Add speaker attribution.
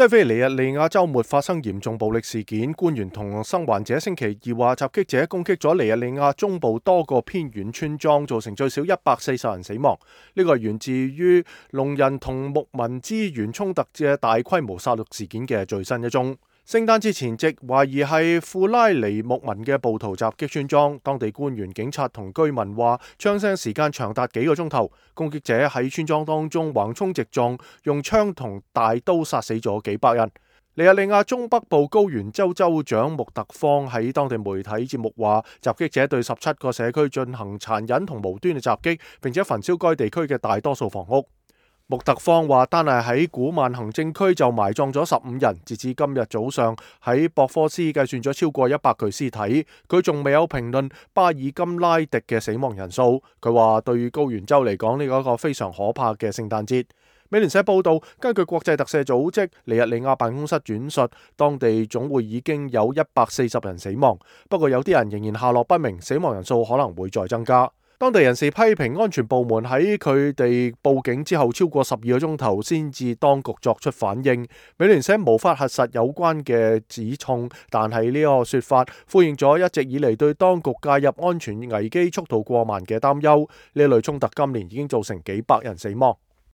Speaker 1: 西非尼日利亞週末發生嚴重暴力事件，官員同生還者星期二話，襲擊者攻擊咗尼日利亞中部多個偏遠村莊，造成最少140人死亡。呢個係源自於農人同牧民資源衝突嘅大規模殺戮事件嘅最新一宗。聖誕節前夕，懷疑係庫拉尼牧民嘅暴徒襲擊村莊，當地官員、警察同居民話，槍聲時間長達幾個鐘頭。攻擊者喺村莊當中橫衝直撞，用槍同大刀殺死咗幾百人。尼日利亞中北部高原州州長穆特方喺當地媒體節目話，襲擊者對17個社區進行殘忍同無端嘅襲擊，並且焚燒該地區嘅大多數房屋。穆特方話，單係喺古曼行政區就埋葬咗15人，截至今日早上喺博科斯計算咗超過100具屍體。佢仲未有評論巴爾金拉迪嘅死亡人數。佢話對於高原州嚟講，呢個係一個非常可怕嘅聖誕節。美聯社報道，根據國際特赦組織尼日利亞辦公室轉述，當地總會已經有140人死亡，不過有啲人仍然下落不明，死亡人數可能會再增加。當地人士批評安全部門喺佢哋報警之後超過12個鐘頭先至當局作出反應。美聯社無法核實有關嘅指控，但係呢個說法呼應咗一直以嚟對當局介入安全危機速度過慢嘅擔憂。呢類衝突今年已經造成幾百人死亡。